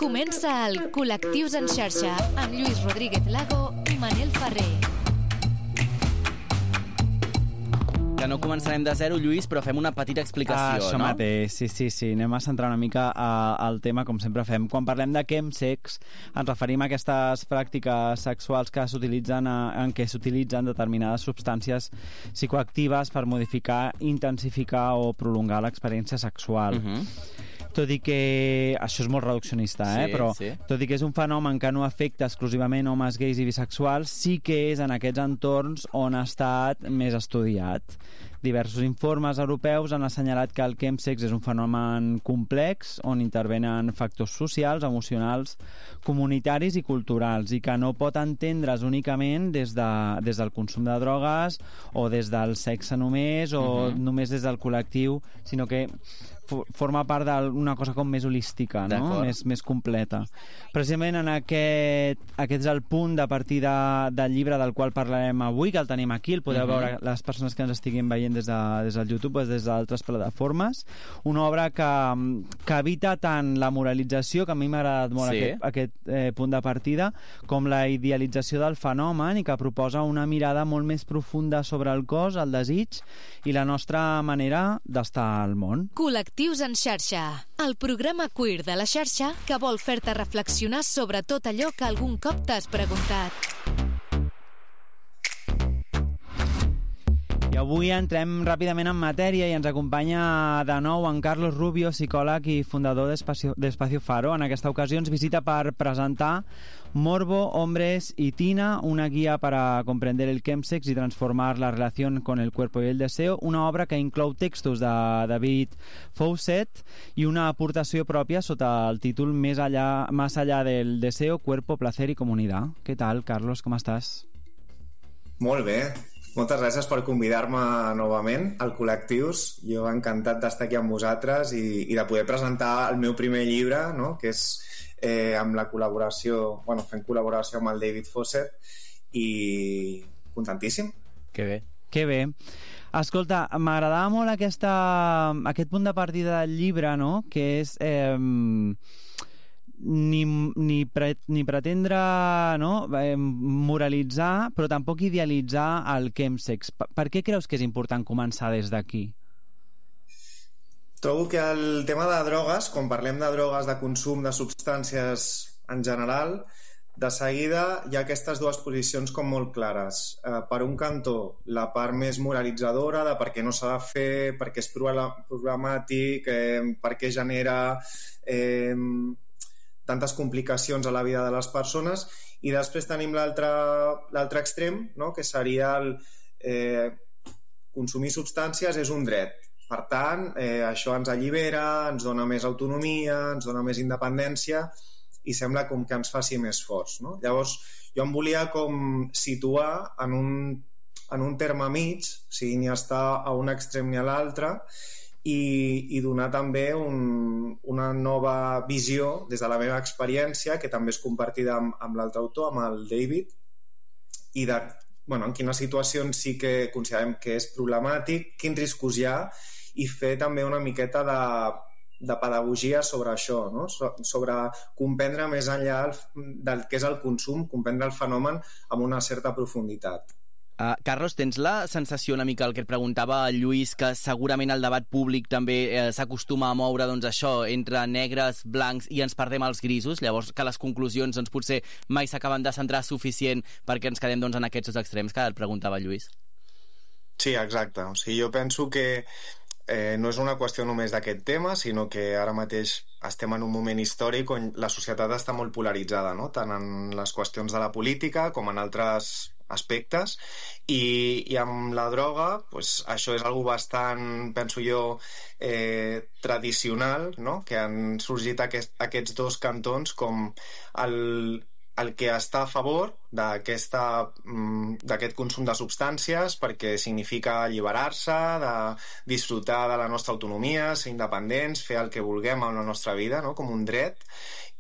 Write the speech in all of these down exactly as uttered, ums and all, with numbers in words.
Comença el Col·lectius en xarxa amb Lluís Rodríguez Lago i Manel Ferrer. Que no començarem de zero, Lluís, però fem una petita explicació, ah, això no? mateix, sí, sí, sí. Anem a centrar una mica a, al tema, com sempre fem. Quan parlem de chemsex, ens referim a aquestes pràctiques sexuals que s'utilitzen a, en què s'utilitzen determinades substàncies psicoactives per modificar, intensificar o prolongar l'experiència sexual. Uh-huh. Tot i que... Això és molt reduccionista, eh? Sí, però sí. tot i que és un fenomen que no afecta exclusivament homes gais i bisexuals, sí que és en aquests entorns on ha estat més estudiat. Diversos informes europeus han assenyalat que el chemsex és un fenomen complex on intervenen factors socials, emocionals, comunitaris i culturals, i que no pot entendre's únicament des, de, des del consum de drogues o des del sexe només o uh-huh. només des del col·lectiu, sinó que forma part d'una cosa com més holística, no? Més, més completa. Precisament en aquest, aquest és el punt de partida del llibre del qual parlarem avui, que el tenim aquí, el podeu uh-huh. veure les persones que ens estiguin veient des, de, des del YouTube o des d'altres plataformes. Una obra que, que evita tant la moralització, que a mi m'ha agradat molt sí. aquest, aquest eh, punt de partida, com la idealització del fenomen, i que proposa una mirada molt més profunda sobre el cos, el desig i la nostra manera d'estar al món. Col·lectius en xarxa, el programa queer de la xarxa que vol fer-te reflexionar sobre tot allò que algun cop t'has preguntat. I avui entrem ràpidament en matèria i ens acompanya de nou en Carlos Rubio, psicòleg i fundador d'Espacio, d'Espacio Faro. En aquesta ocasió ens visita per presentar Morbo, Hombres y Tina, una guía para comprender el chemsex y transformar la relación con el cuerpo y el deseo, una obra que inclou textos de David Fawcett i una aportació pròpia sota el títol Més allá, Más allá del deseo, cuerpo, placer y comunidad. Què tal, Carlos? Com estàs? Molt bé. Moltes gràcies per convidar-me novament al Col·lectius. Jo encantat d'estar aquí amb vosaltres i, i de poder presentar el meu primer llibre, no? Que és eh, amb la col·laboració, bueno, fent col·laboració amb el David Fawcett, i contentíssim. Que bé. Que bé. Escolta, m'agradava molt aquesta, aquest punt de partida del llibre, no? Que és... Eh, ni, ni, pre, ni pretendre no? eh, moralitzar, però tampoc idealitzar el chemsex. Per, per què creus que és important començar des d'aquí? Trobo que el tema de drogues, quan parlem de drogues, de consum de substàncies en general, de seguida hi ha aquestes dues posicions com molt clares. Eh, per un cantó, la part més moralitzadora de per què no s'ha de fer, per què és problemàtic, eh, per què genera... Eh, tantes complicacions a la vida de les persones, i després tenim l'altre l'altre extrem, no? Que seria el eh, consumir substàncies és un dret. Per tant, eh, això ens allibera, ens dona més autonomia, ens dona més independència i sembla com que ens faci més forts, no? Llavors, jo em volia com situar en un, en un terme mig, o sigui, ni estar a un extrem ni a l'altre, I, i donar també un, una nova visió des de la meva experiència, que també és compartida amb, amb l'altre autor, amb el David, i de bueno, en quines situacions sí que considerem que és problemàtic, quins riscos hi ha, i fer també una miqueta de, de pedagogia sobre això, no? So, sobre comprendre més enllà el, del que és el consum, comprendre el fenomen amb una certa profunditat. Uh, Carlos, tens la sensació una mica el que et preguntava el Lluís, que segurament el debat públic també eh, s'acostuma a moure doncs això, entre negres, blancs, i ens perdem els grisos, llavors que les conclusions doncs, potser mai s'acaben de centrar suficient perquè ens quedem doncs, en aquests dos extrems que et preguntava el Lluís? Sí, exacte. O sigui, jo penso que eh, no és una qüestió només d'aquest tema, sinó que ara mateix estem en un moment històric on la societat està molt polaritzada, no? Tant en les qüestions de la política com en altres aspectes, i, i amb la droga pues, això és algo bastant, penso jo, eh, tradicional, no? Que han sorgit aquest, aquests dos cantons com el, el que està a favor d'aquesta, d'aquest consum de substàncies perquè significa alliberar-se, de disfrutar de la nostra autonomia, ser independents, fer el que vulguem amb la nostra vida, no? Com un dret,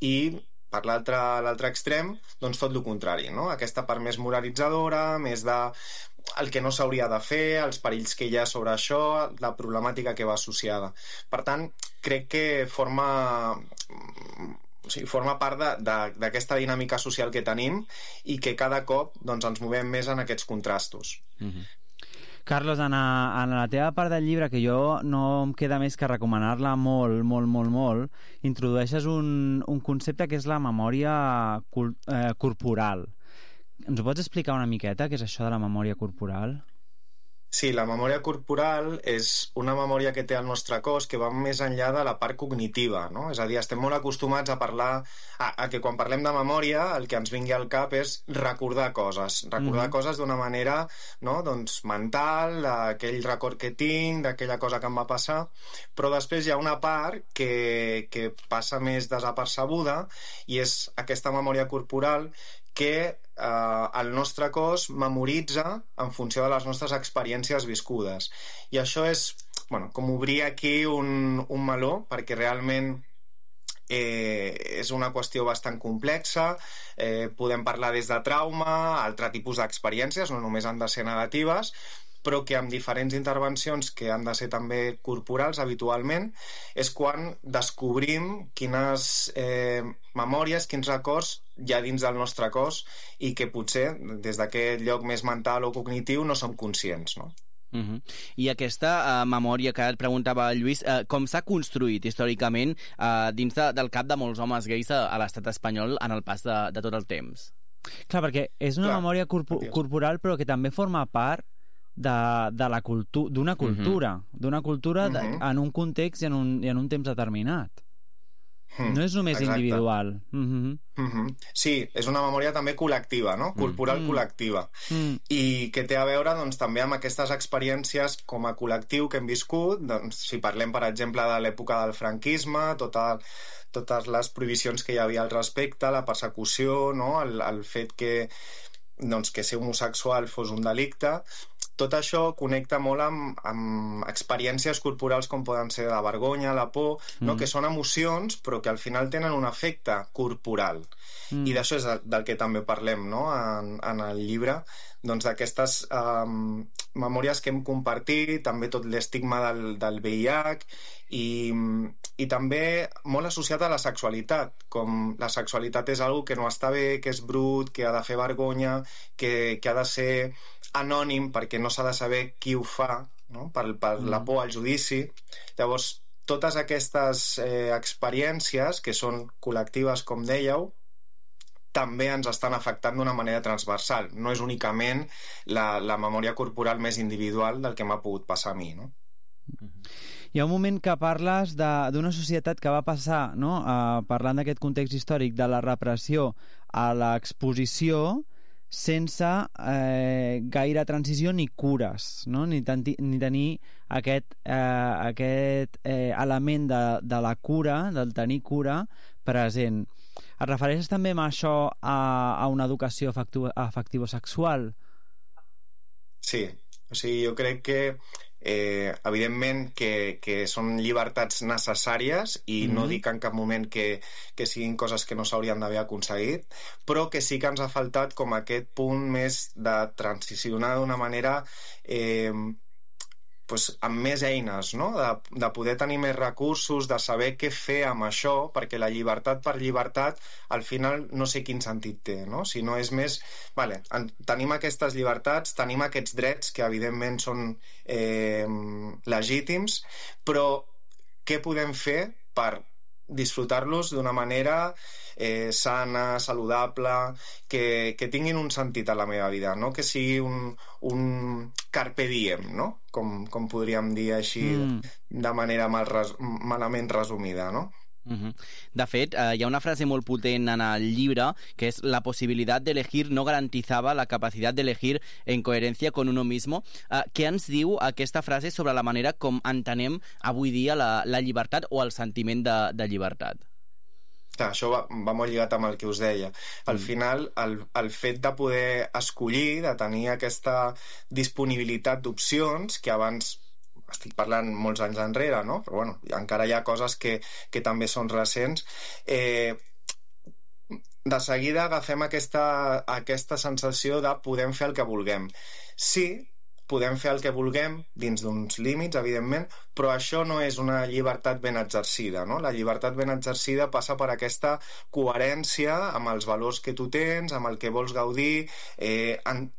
i per l'altre l'altre extrem, doncs tot el contrari, no? Aquesta part més moralitzadora, més de el que no s'hauria de fer, els perills que hi ha sobre això, la problemàtica que va associada. Per tant, crec que forma... o sigui, forma part d'aquesta dinàmica social que tenim i que cada cop doncs, ens movem més en aquests contrastos. Mm-hmm. Carlos, en, a, en la teva part del llibre, que jo no em queda més que recomanar-la molt, molt, molt, molt, introdueixes un, un concepte que és la memòria cul, eh, corporal. Ens ho pots explicar una miqueta, què és això de la memòria corporal? Sí, la memòria corporal és una memòria que té el nostre cos que va més enllà de la part cognitiva, no? És a dir, estem molt acostumats a parlar, a, a que quan parlem de memòria el que ens vingui al cap és recordar coses, recordar mm-hmm. coses d'una manera, no? Doncs mental, aquell record que tinc, d'aquella cosa que em va passar, però després hi ha una part que, que passa més desapercebuda i és aquesta memòria corporal que eh, el nostre cos memoritza en funció de les nostres experiències viscudes. I això és, bueno, com obrir aquí un, un meló, perquè realment eh, és una qüestió bastant complexa. Eh, podem parlar des de trauma, altre tipus d'experiències, no només han de ser negatives, però que amb diferents intervencions que han de ser també corporals habitualment, és quan descobrim quines eh, memòries, quins records hi ha dins del nostre cos i que potser des d'aquest lloc més mental o cognitiu no som conscients, no? Uh-huh. I aquesta uh, memòria que et preguntava Lluís, uh, com s'ha construït històricament uh, dins de, del cap de molts homes gais a, a l'estat espanyol en el pas de, de tot el temps? Clar, perquè és una Clar, memòria corpo corporal però que també forma part de, de la cultu d'una cultura, uh-huh. d'una cultura uh-huh. de, en un context i en un, i en un temps determinat. Mm, no és només exacte. Individual. Uh-huh. Uh-huh. Sí, és una memòria també col·lectiva, no? Corporal mm. col·lectiva. Mm. I que té a veure doncs, també amb aquestes experiències com a col·lectiu que hem viscut. Doncs, si parlem, per exemple, de l'època del franquisme, tota, totes les prohibicions que hi havia al respecte, la persecució, no? el, el fet que, doncs, que ser homosexual fos un delicte. Tot això connecta molt amb, amb experiències corporals com poden ser la vergonya, la por, mm. no? que són emocions però que al final tenen un efecte corporal. Mm. I d'això és del que també parlem, no? en, en el llibre, doncs d'aquestes um, memòries que hem compartit, també tot l'estigma del, del V I H i, i també molt associat a la sexualitat, com la sexualitat és algo que no està bé, que és brut, que ha de fer vergonya, que, que ha de ser anònim perquè no s'ha de saber qui ho fa, no? per, per mm. la por al judici. Llavors, totes aquestes eh, experiències que són col·lectives, com dèieu, també ens estan afectant d'una manera transversal. No és únicament la, la memòria corporal més individual del que m'ha pogut passar a mi, no? Hi ha un moment que parles d'una societat que va passar, no? uh, parlant d'aquest context històric de la repressió a l'exposició sense eh, gaire transició ni cures, no? ni, tanti, ni tenir aquest, eh, aquest eh, element de, de la cura, del tenir cura present. Et refereixes també amb això a, a una educació afectivo-sexual? Sí, o sigui, jo crec que eh, evidentment que, que són llibertats necessàries i mm-hmm. no dic en cap moment que, que siguin coses que no s'haurien d'haver aconseguit, però que sí que ens ha faltat com aquest punt més de transicionar d'una manera eh, pues, amb més eines, no? de, de poder tenir més recursos, de saber què fer amb això, perquè la llibertat per llibertat al final no sé quin sentit té, no? Si no és més, vale, en, tenim aquestes llibertats, tenim aquests drets que evidentment són eh, legítims, però què podem fer per disfrutar-los d'una manera eh, sana, saludable, que, que tinguin un sentit a la meva vida, no? Que sigui un, un carpe diem, no? Com, com podríem dir així mm. de manera mal res, malament resumida, no? Uh-huh. De fet, eh, hi ha una frase molt potent en el llibre que és: la possibilitat d'elegir no garantizava la capacitat d'elegir en coherència con uno mismo. Eh, què ens diu aquesta frase sobre la manera com entenem avui dia la, la llibertat o el sentiment de, de llibertat? Clar, això va, va molt lligat amb el que us deia. Al mm. final, el, el fet de poder escollir, de tenir aquesta disponibilitat d'opcions que abans... estic parlant molts anys enrere, no? Però bueno, encara hi ha coses que, que també són recents. Eh, de seguida agafem aquesta, aquesta sensació de podem fer el que vulguem. Sí, podem fer el que vulguem dins d'uns límits, evidentment, però això no és una llibertat ben exercida, no? La llibertat ben exercida passa per aquesta coherència amb els valors que tu tens, amb el que vols gaudir, eh, en...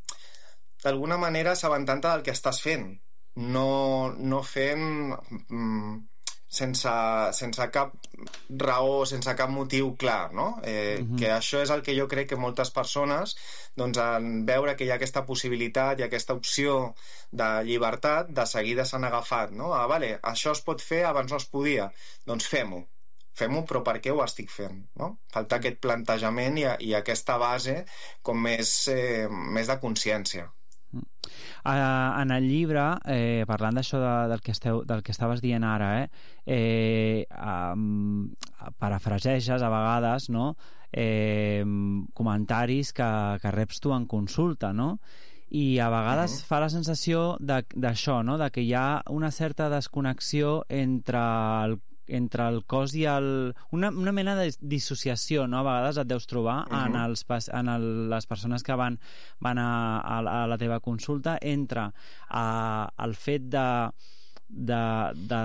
d'alguna manera assabentant-te del que estàs fent, no, no fent... Mm, sense, sense cap raó, sense cap motiu clar, no? Eh, uh-huh. Que això és el que jo crec que moltes persones, doncs, en veure que hi ha aquesta possibilitat i aquesta opció de llibertat, de seguida s'han agafat, no? Ah, vale, això es pot fer, abans no es podia. Doncs fem-ho. Fem-ho, però per què ho estic fent, no? Falta aquest plantejament i, i aquesta base com més, eh, més de consciència. Uh, en el llibre, eh, parlant d'això de, del, que esteu, del que estaves dient ara, eh, eh, um, parafraseges a vegades, no? eh, comentaris que, que reps tu en consulta, no? I a vegades uh-huh. fa la sensació d'això, no? De que hi ha una certa desconnexió entre el entre el cos i el... Una, una mena de dissociació, no? A vegades et deus trobar uh-huh. en, els, en el, les persones que van, van a, a, a la teva consulta entre a, el fet de, de, de,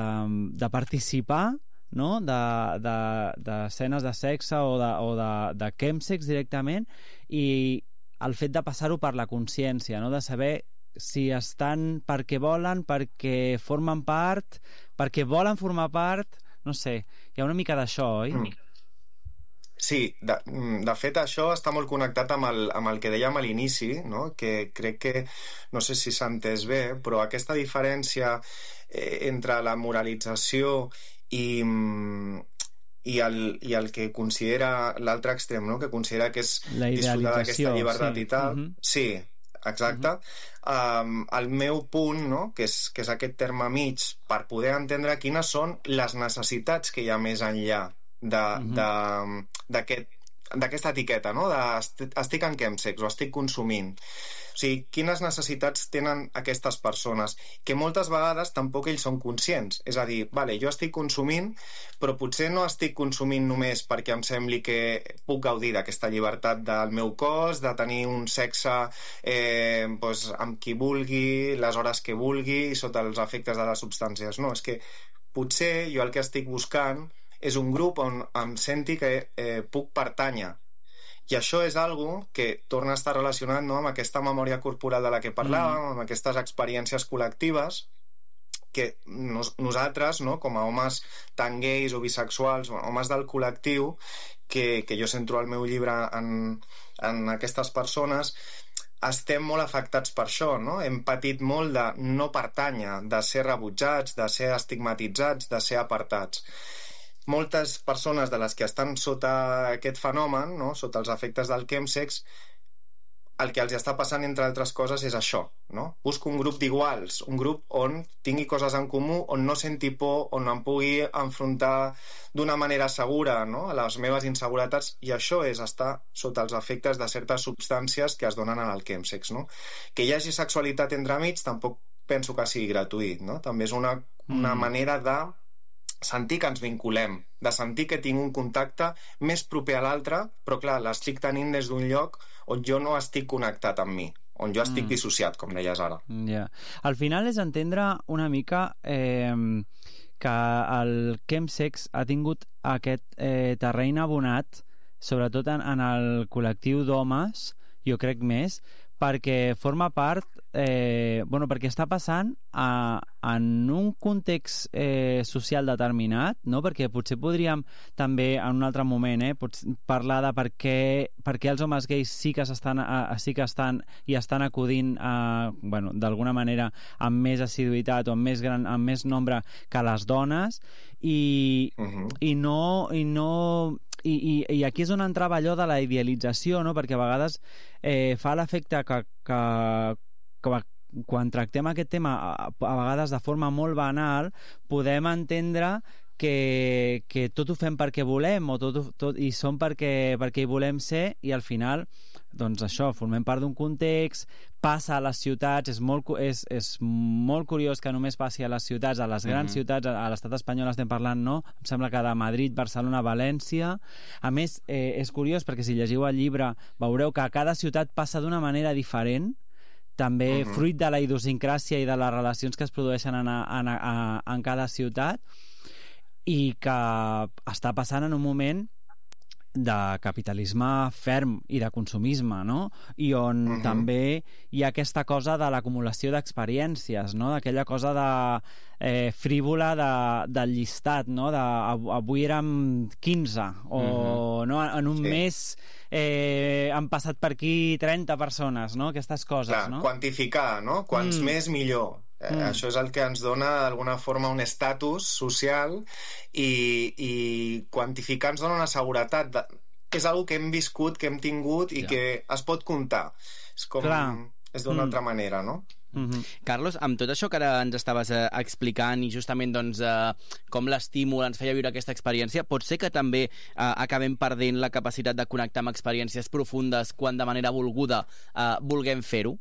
de participar, no? d'escenes de, de, de sexe o de, o de, de chemsex directament, i el fet de passar-ho per la consciència, no? De saber si estan perquè volen, perquè formen part, perquè volen formar part. No sé, hi ha una mica d'això, oi? Mm. Sí, de, de fet això està molt connectat amb el, amb el que dèiem a l'inici, no? Que crec que, no sé si s'ha entès bé, però aquesta diferència eh, entre la moralització i, i, el, i el que considera l'altre extrem, no? Que considera que és disfrutar d'aquesta llibertat sí. i tal. Uh-huh. Sí, exacte. Uh-huh. um, el meu punt, no? que, és, que és aquest terme mig, per poder entendre quines són les necessitats que hi ha més enllà uh-huh. d'aquesta etiqueta, no? de estic en chemsex o estic consumint. O sigui, quines necessitats tenen aquestes persones, que moltes vegades tampoc ells són conscients. És a dir, vale, jo estic consumint, però potser no estic consumint només perquè em sembli que puc gaudir d'aquesta llibertat del meu cos, de tenir un sexe eh, doncs, amb qui vulgui, les hores que vulgui, sota els efectes de les substàncies. No, és que potser jo el que estic buscant és un grup on em senti que eh, puc pertànyer. I això és algo que torna a estar relacionat, no, amb aquesta memòria corporal de la que parlàvem, mm. amb aquestes experiències col·lectives que nos, nosaltres, no, com a homes tan gais o bisexuals, homes del col·lectiu, que, que jo centro al meu llibre en, en aquestes persones, estem molt afectats per això, no? Hem patit molt de no pertànyer, de ser rebutjats, de ser estigmatitzats, de ser apartats. Moltes persones de les que estan sota aquest fenomen, no? Sota els efectes del chemsex, el que els està passant, entre altres coses, és això, no? Busco un grup d'iguals, un grup on tingui coses en comú, on no senti por, on em pugui enfrontar d'una manera segura, no? A les meves inseguretats, i això és estar sota els efectes de certes substàncies que es donen en el chemsex, no? Que hi hagi sexualitat entremig tampoc penso que sigui gratuït, no? També és una, una mm. manera de sentir que ens vinculem, de sentir que tinc un contacte més proper a l'altre, però clar, l'estic tenint des d'un lloc on jo no estic connectat amb mi, on jo estic mm. dissociat, com deies ara. Yeah. Al final és entendre una mica eh, que el chemsex ha tingut aquest eh, terreny abonat, sobretot en, en el col·lectiu d'homes, jo crec més, perquè forma part, eh, bueno, perquè està passant a, en un context eh, social determinat, no? Perquè potser podríem també en un altre moment eh, parlar de per què, per què els homes gais sí que, s'estan, a, sí que estan i estan acudint a, bueno, d'alguna manera amb més assiduïtat o amb més, gran, amb més nombre que les dones i, uh-huh. i no... I no I, i, i aquí és on entrava allò de la idealització, no? Perquè a vegades eh, fa l'efecte que, que, que quan tractem aquest tema a, a vegades de forma molt banal podem entendre que, que tot ho fem perquè volem o tot, tot, i som perquè, perquè hi volem ser, i al final doncs això, formem part d'un context, passa a les ciutats, és molt, és, és molt curiós que només passi a les ciutats, a les grans mm-hmm. ciutats, a l'estat espanyol estem parlant, no? Em sembla que de Madrid, Barcelona, València. A més, eh, és curiós perquè si llegiu el llibre veureu que a cada ciutat passa d'una manera diferent, també Mhm. fruit de la idiosincràsia i de les relacions que es produeixen en, en, en, en cada ciutat, i que està passant en un moment de capitalisme ferm i de consumisme, no? I on uh-huh. també hi ha aquesta cosa de l'acumulació d'experiències, no? D'aquella cosa de eh, frívola de, del llistat, no? De, avui érem quinze, o uh-huh. no? En un sí. mes eh, han passat per aquí trenta persones, no? Aquestes coses, Clar, no? Quantificar, no? Quants mm. més, millor. Eh, mm. Això és el que ens dona d'alguna forma un estatus social, i, i quantificar ens dona una seguretat de... és una que hem viscut, que hem tingut i ja. que es pot comptar. És com... Clar. És d'una mm. altra manera, no? Mm-hmm. Carlos, amb tot això que ara ens estaves eh, explicant, i justament doncs, eh, com l'estímul ens feia viure aquesta experiència, pot ser que també eh, acabem perdent la capacitat de connectar amb experiències profundes quan de manera volguda eh, vulguem fer-ho?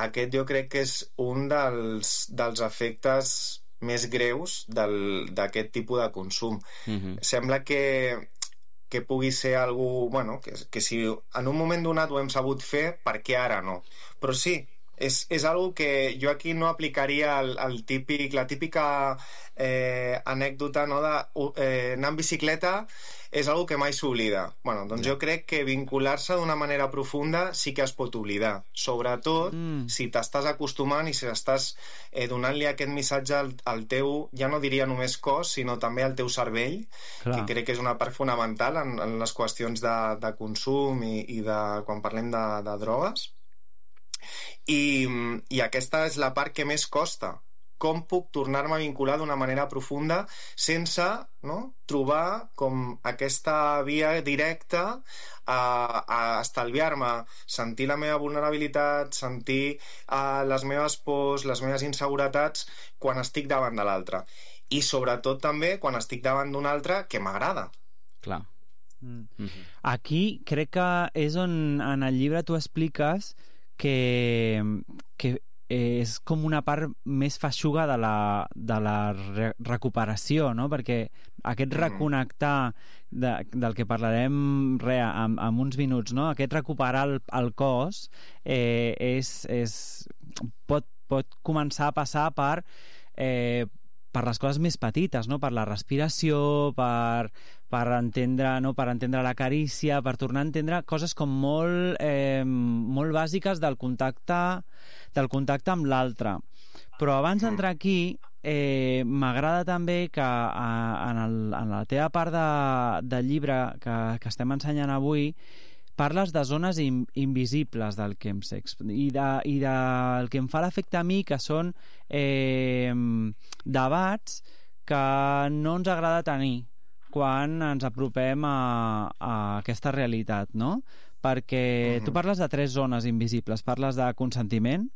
Aquest jo crec que és un dels, dels efectes més greus d'aquest tipus de consum. Mm-hmm. Sembla que, que pugui ser algú, bueno, que, que si en un moment donat ho hem sabut fer, per què ara no? Però sí, és, és algo que jo aquí no aplicaria el, el típic, la típica eh, anècdota, no, de eh, anar en bicicleta és algo que mai s'oblida. Bueno, doncs jo crec que vincular-se d'una manera profunda sí que es pot oblidar, sobretot mm. si t'estàs acostumant i si estàs eh, donant-li aquest missatge al, al teu, ja no diria només cos, sinó també al teu cervell. Clar. Que crec que és una part fonamental en, en les qüestions de, de consum i, i de, quan parlem de, de drogues. I, i aquesta és la part que més costa. Com puc tornar-me a vincular d'una manera profunda sense, no, trobar com aquesta via directa a, a estalviar-me, sentir la meva vulnerabilitat, sentir uh, les meves pors, les meves inseguretats quan estic davant de l'altre. I sobretot també quan estic davant d'un altre que m'agrada. Clar. Mm. Mm-hmm. Aquí crec que és on en el llibre tu expliques que, que és com una part més feixuga de la, de la re recuperació, no? Perquè aquest reconnectar de, del que parlarem re, en, en uns minuts, no? Aquest recuperar el, el cos eh, és, és, pot, pot començar a passar per eh, per les coses més petites, no? Per la respiració, per, per, entendre, no? Per entendre la carícia, per tornar a entendre coses com molt, eh, molt bàsiques del contacte, del contacte amb l'altre. Però abans d'entrar aquí, eh, m'agrada també que a, en, el, en la teva part de, del llibre que, que estem ensenyant avui, parles de zones in, invisibles del chemsex i, de, i del que em fa l'efecte a mi, que són eh, debats que no ens agrada tenir quan ens apropem a, a aquesta realitat, no? Perquè uh-huh. tu parles de tres zones invisibles. Parles de consentiment,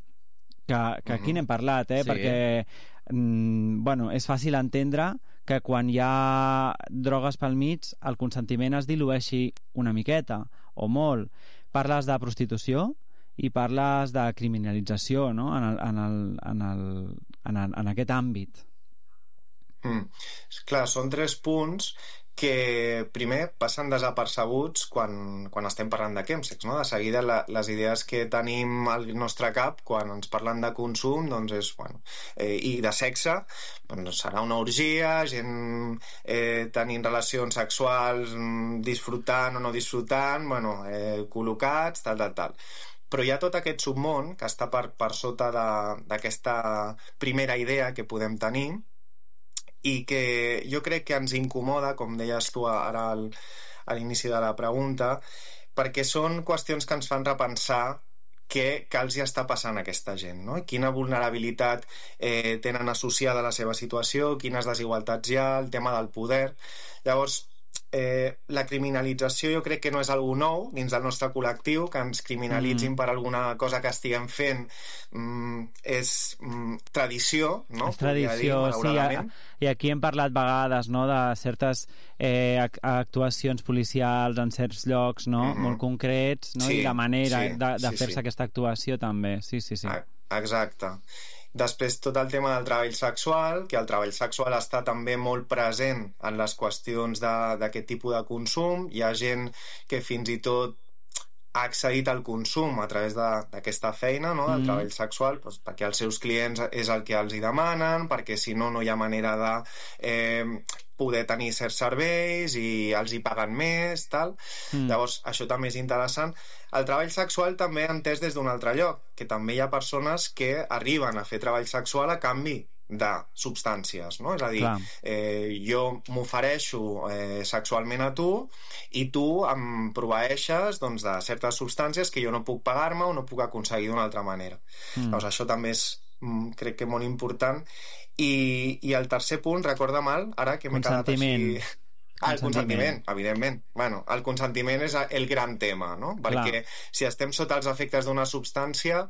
que, que aquí uh-huh. n'hem parlat, eh? Sí. Perquè mm, bueno, és fàcil entendre que quan hi ha drogues pel mig el consentiment es dilueixi una miqueta o molt. Parles de prostitució i parles de criminalització, no? en, el, en, el, en, el, en, el, en aquest àmbit. Mm. Clar, són tres punts que primer passen desapercebuts quan, quan estem parlant de chemsex, no? De seguida la, les idees que tenim al nostre cap quan ens parlen de consum, doncs és, bueno, eh, i de sexe, doncs serà una orgia, gent eh, tenint relacions sexuals, disfrutant o no disfrutant, bueno, eh, col·locats, tal, tal, tal. Però hi ha tot aquest submón que està per, per sota d'aquesta primera idea que podem tenir, i que jo crec que ens incomoda, com deies tu ara al, a l'inici de la pregunta, perquè són qüestions que ens fan repensar què, què els hi està passant a aquesta gent, no? Quina vulnerabilitat eh, tenen associada a la seva situació, quines desigualtats hi ha, el tema del poder. Llavors, eh, la criminalització jo crec que no és algo nou dins del nostre col·lectiu, que ens criminalitzin mm. per alguna cosa que estiguem fent mm, és mm, tradició, no? És tradició, dir, sí, a, i aquí hem parlat vegades, no?, de certes eh, actuacions policials en certs llocs, no?, mm-hmm. molt concrets, no?, sí, i la manera sí, de, de sí, fer-se sí. aquesta actuació també, sí, sí, sí. Exacte. Després tot el tema del treball sexual, que el treball sexual està també molt present en les qüestions d'aquest tipus de consum. Hi ha gent que fins i tot ha accedit al consum a través d'aquesta feina, no? del mm. treball sexual, doncs, perquè els seus clients és el que els hi demanen, perquè si no, no hi ha manera de eh, poder tenir certs serveis i els hi paguen més, tal. Mm. Llavors, això també és interessant. El treball sexual també entès des d'un altre lloc, que també hi ha persones que arriben a fer treball sexual a canvi de substàncies, no? És a dir, eh, jo m'ofereixo eh, sexualment a tu i tu em proveeixes doncs, de certes substàncies que jo no puc pagar-me o no puc aconseguir d'una altra manera. Mm. Doncs això també és, crec que molt important. I, i el tercer punt, recorda mal, ara que m'he quedat així... Ah, el consentiment, evidentment. Bueno, el consentiment és el gran tema, no? Perquè Clar. si estem sota els efectes d'una substància,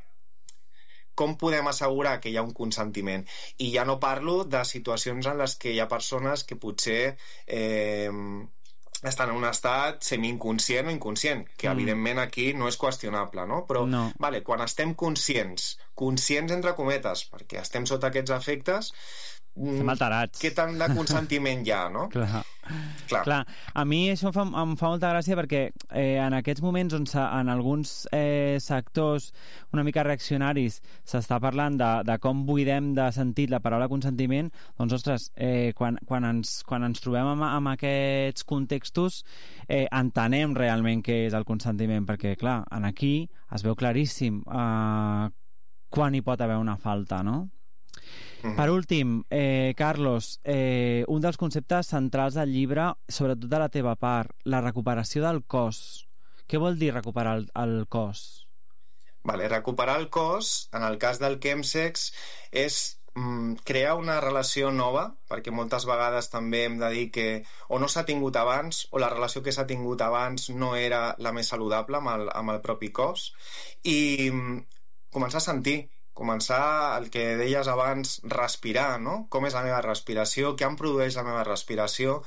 com podem assegurar que hi ha un consentiment? I ja no parlo de situacions en les que hi ha persones que potser eh, estan en un estat semi-inconscient o inconscient, que mm. evidentment aquí no és qüestionable, no? Però, no. Vale, quan estem conscients, conscients entre cometes, perquè estem sota aquests efectes, estem alterats. Què tant de consentiment hi ha, no? Clar. Clar. Clar. A mi això em fa, em fa molta gràcia perquè eh, en aquests moments on en alguns eh, sectors una mica reaccionaris s'està parlant de, de com buidem de sentit la paraula consentiment, doncs, ostres, eh, quan, quan, ens, quan ens trobem amb, amb aquests contextos eh, entenem realment què és el consentiment, perquè, clar, en aquí es veu claríssim eh, quan hi pot haver una falta, no? Per últim, eh, Carlos, eh, un dels conceptes centrals del llibre, sobretot de la teva part, la recuperació del cos. Què vol dir recuperar el, el cos? Vale, recuperar el cos, en el cas del chemsex, és mm, crear una relació nova, perquè moltes vegades també hem de dir que o no s'ha tingut abans, o la relació que s'ha tingut abans no era la més saludable amb el, amb el propi cos, i mm, començar a sentir, començar el que deies abans, respirar, no? Com és la meva respiració, què em produeix la meva respiració,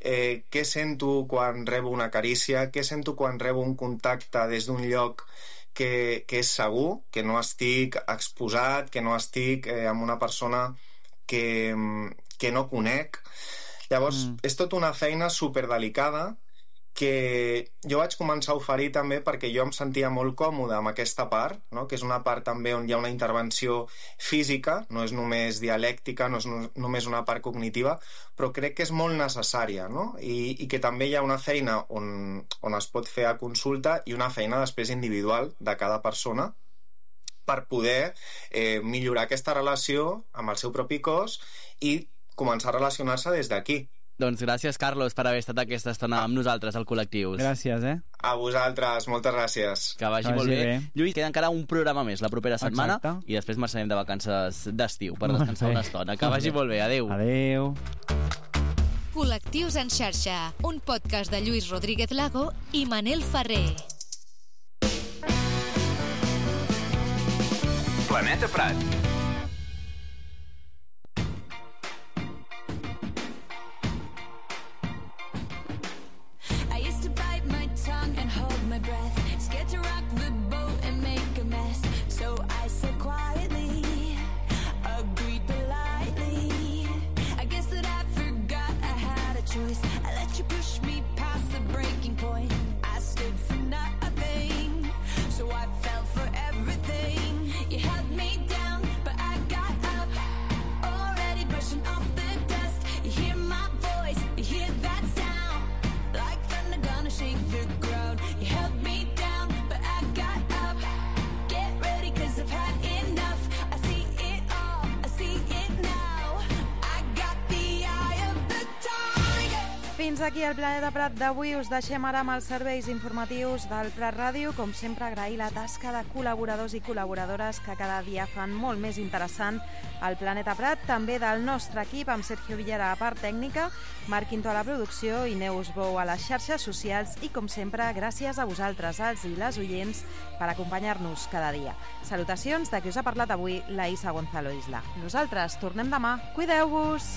eh, què sento quan rebo una carícia, què sento quan rebo un contacte des d'un lloc que, que és segur, que no estic exposat, que no estic eh, amb una persona que, que no conec. Llavors, mm. és tota una feina superdelicada que jo vaig començar a oferir també perquè jo em sentia molt còmode amb aquesta part, no? Que és una part també on hi ha una intervenció física, no és només dialèctica, no és no, només una part cognitiva, però crec que és molt necessària, no? I, i que també hi ha una feina on, on es pot fer a consulta i una feina després individual de cada persona per poder eh, millorar aquesta relació amb el seu propi cos i començar a relacionar-se des d'aquí. Doncs gràcies, Carlos, per haver estat aquesta estona amb nosaltres al Col·lectius. Gràcies, eh? A vosaltres, moltes gràcies. Que vagi, que vagi molt bé. bé. Lluís, queda encara un programa més la propera setmana. Exacte. I després marxarem de vacances d'estiu per descansar una estona. Que vagi molt bé. Adéu. Adéu. Col·lectius en xarxa, un podcast de Lluís Rodríguez Lago i Manel Ferrer. Planeta Prat. Fins aquí el Planeta Prat d'avui. Us deixem ara amb els serveis informatius del Prat Ràdio. Com sempre, agrair la tasca de col·laboradors i col·laboradores que cada dia fan molt més interessant el Planeta Prat. També del nostre equip, amb Sergio Villara a la part tècnica, Marc Quinto a la producció i Neus Bou a les xarxes socials. I, com sempre, gràcies a vosaltres, els i les oients, per acompanyar-nos cada dia. Salutacions de qui us ha parlat avui, la Isa Gonzalo Isla. Nosaltres tornem demà. Cuideu-vos!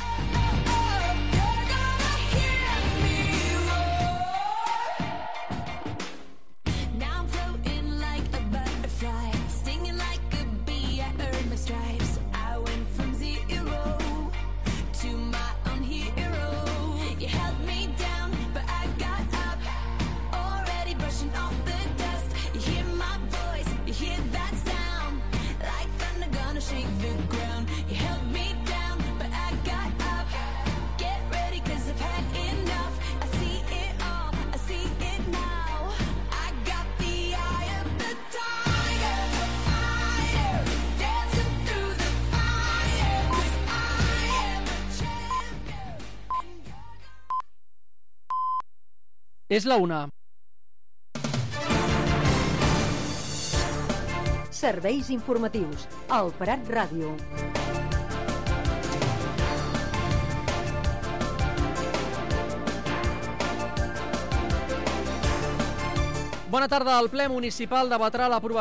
És la una. Serveis informatius. El Prat Ràdio. Bona tarda. El ple municipal debatrà l'aprovació